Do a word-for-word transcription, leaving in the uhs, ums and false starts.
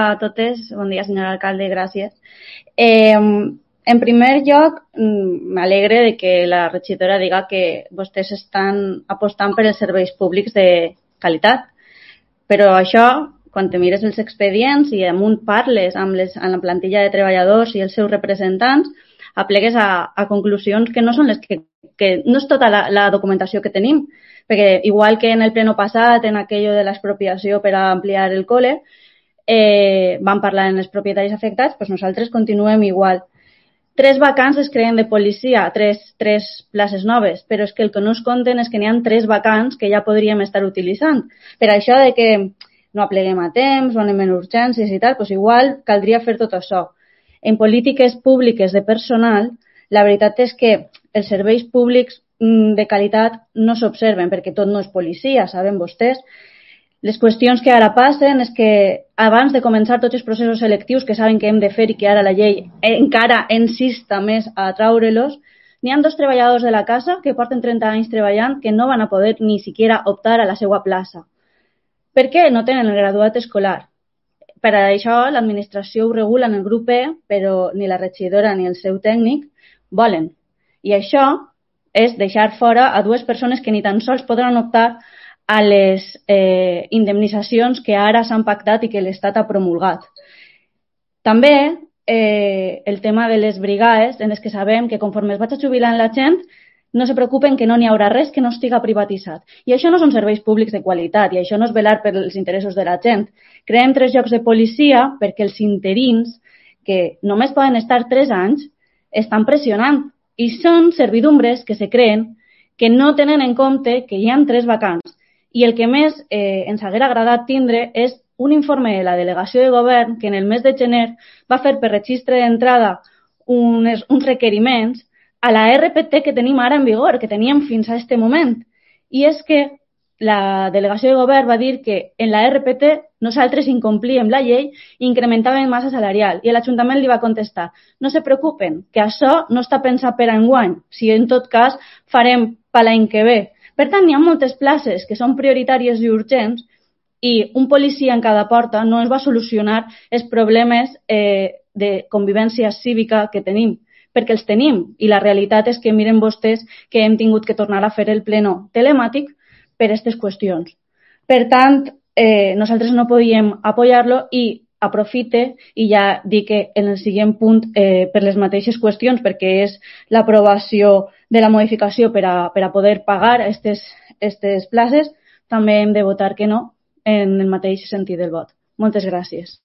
a totes. Bon dia, senyor alcalde, gràcies. Eh, en primer lloc, m'alegre de que la regidora diga que vostès estan apostant per els serveis públics de qualitat. Però això, quan te mires els expedients i amunt parles amb, les, amb la plantilla de treballadors i els seus representants, aplegues a, a conclusions que no són les que, que no és tota la, la documentació que tenim, perquè igual que en el pleno passat, en aquello de l'expropiació per a ampliar el col·le, eh, van parlar en els propietaris afectats, doncs nosaltres continuem igual. Tres vacants es creen de policia, tres, tres places noves, però és que el que no es compten és que n'hi ha tres vacants que ja podríem estar utilitzant. Per això de que no apleguem a temps o anem en urgències i tal, doncs igual caldria fer tot això. En polítiques públiques de personal, la veritat és que els serveis públics de qualitat no s'observen, perquè tot no és policia, saben vostès. Les qüestions que ara passen és que abans de començar tots els processos selectius que saben que hem de fer i que ara la llei encara insista més a traure-los, n'hi ha dos treballadors de la casa que porten trenta anys treballant que no van a poder ni siquiera optar a la seva plaça. Per què? No tenen el graduat escolar. Per això l'administració ho regula en el grup E, però ni la regidora ni el seu tècnic volen. I això és deixar fora a dues persones que ni tan sols podran optar a les eh, indemnitzacions que ara s'han pactat i que l'Estat ha promulgat. També eh, el tema de les brigades, en les que sabem que conforme es vaig jubilant la gent, no se preocupen que no n'hi haurà res que no estiga privatitzat. I això no són serveis públics de qualitat i això no és velar per els interessos de la gent. Creem tres llocs de policia perquè els interins, que només poden estar tres anys, estan pressionant i són servidumbres que se creen que no tenen en compte que hi ha tres vacants. I el que més eh, ens haguera agradat tindre és un informe de la delegació de govern que en el mes de gener va fer per registre d'entrada uns, uns requeriments a la R P T que tenim ara en vigor, que teníem fins a aquest moment. I és que la delegació de govern va dir que en la R P T nosaltres incomplíem la llei i incrementàvem massa salarial. I l'Ajuntament li va contestar: no se preocupen, que això no està pensat per enguany, si en tot cas farem per l'any que ve. Per tant, hi ha moltes places que són prioritàries i urgents i un policia en cada porta no ens va solucionar els problemes eh, de convivència cívica que tenim, perquè els tenim. I la realitat és que miren vostès que hem tingut que tornar a fer el pleno telemàtic per aquestes qüestions. Per tant, eh, nosaltres no podíem apoyar-lo i aprofite i ja dic que en el següent punt eh, per les mateixes qüestions, perquè és l'aprovació de la modificació per a, per a poder pagar aquestes places, també hem de votar que no en el mateix sentit del vot. Moltes gràcies.